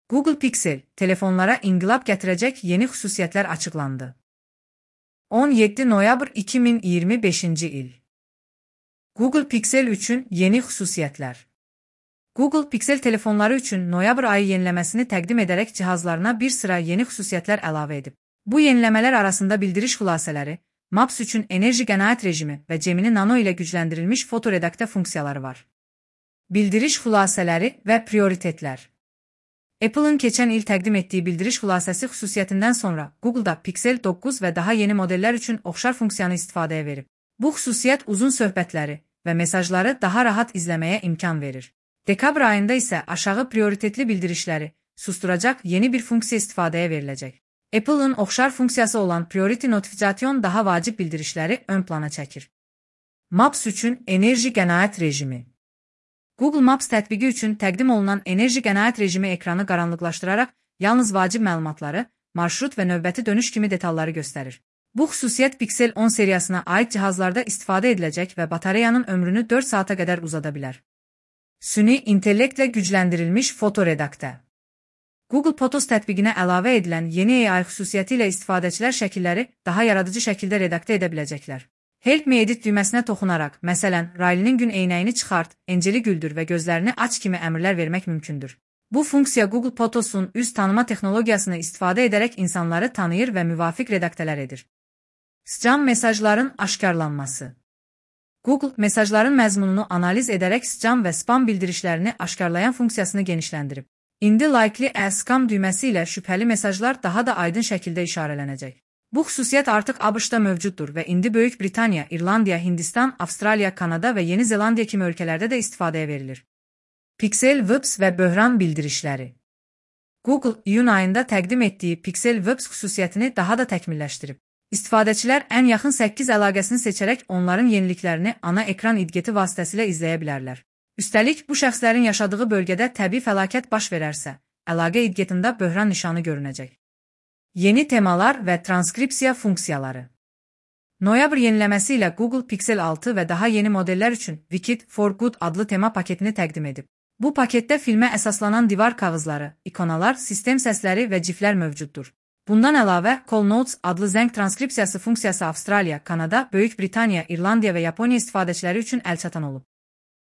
Google Pixel, telefonlara inqilab gətirəcək yeni xüsusiyyətlər açıqlandı. 17 noyabr 2025-ci il. Google Pixel üçün yeni xüsusiyyətlər. Google Pixel telefonları üçün noyabr ayı yeniləməsini təqdim edərək cihazlarına bir sıra yeni xüsusiyyətlər əlavə edib. Bu yeniləmələr arasında bildiriş xülasələri, Maps üçün enerji qənaət rejimi və Gemini Nano ilə gücləndirilmiş fotoredaktə funksiyaları var. Bildiriş xülasələri və prioritetlər. Apple'ın keçən il təqdim etdiyi bildiriş xülasəsi xüsusiyyətindən sonra Google'da Pixel 9 və daha yeni modellər üçün oxşar funksiyanı istifadəyə verib. Bu xüsusiyyət uzun söhbətləri və mesajları daha rahat izləməyə imkan verir. Dekabr ayında isə aşağı prioritetli bildirişləri susturacaq yeni bir funksiya istifadəyə veriləcək. Apple'ın oxşar funksiyası olan Priority Notification daha vacib bildirişləri ön plana çəkir. Maps üçün enerji qənaət rejimi. Google Maps tətbiqi üçün təqdim olunan enerji qənaət rejimi ekranı qaranlıqlaşdıraraq yalnız vacib məlumatları, marşrut və növbəti dönüş kimi detalları göstərir. Bu xüsusiyyət Pixel 10 seriyasına aid cihazlarda istifadə ediləcək və batareyanın ömrünü 4 saata qədər uzada bilər. Süni intellektlə gücləndirilmiş fotoredaktə. Google Photos tətbiqinə əlavə edilən yeni AI xüsusiyyəti ilə istifadəçilər şəkilləri daha yaradıcı şəkildə redaktə edə biləcəklər. Help me edit düyməsinə toxunaraq, məsələn, Riley'nin gün eynəyini çıxart, Angeli güldür və gözlərini aç kimi əmrlər vermək mümkündür. Bu funksiya Google Photos'un üz tanıma texnologiyasını istifadə edərək insanları tanıyır və müvafiq redaktələr edir. Spam mesajların aşkarlanması. Google, mesajların məzmununu analiz edərək spam və spam bildirişlərini aşkarlayan funksiyasını genişləndirib. İndi Likely as Spam düyməsi ilə şübhəli mesajlar daha da aydın şəkildə işarələnəcək. Bu xüsusiyyət artıq ABŞ-da mövcuddur və indi Böyük Britaniya, İrlandiya, Hindistan, Avstraliya, Kanada və Yeni Zelandiya kimi ölkələrdə də istifadəyə verilir. Pixel VIPS və böhran bildirişləri. Google, iyun ayında təqdim etdiyi Pixel VIPS xüsusiyyətini daha da təkmilləşdirib. İstifadəçilər ən yaxın 8 əlaqəsini seçərək onların yeniliklərini ana ekran idgeti vasitəsilə izləyə bilərlər. Üstəlik, bu şəxslərin yaşadığı bölgədə təbii fəlakət baş verərsə, əlaqə idgetində böhran nişanı görünəcək. Yeni temalar və transkripsiya funksiyaları. Noyabr yeniləməsi ilə Google Pixel 6 və daha yeni modellər üçün Wicked for Good adlı tema paketini təqdim edib. Bu paketdə filmə əsaslanan divar kağızları, ikonalar, sistem səsləri və ciflər mövcuddur. Bundan əlavə, Call Notes adlı zəng transkripsiyası funksiyası Avstraliya, Kanada, Böyük Britaniya, İrlandiya və Yaponiya istifadəçiləri üçün əlçatan olub.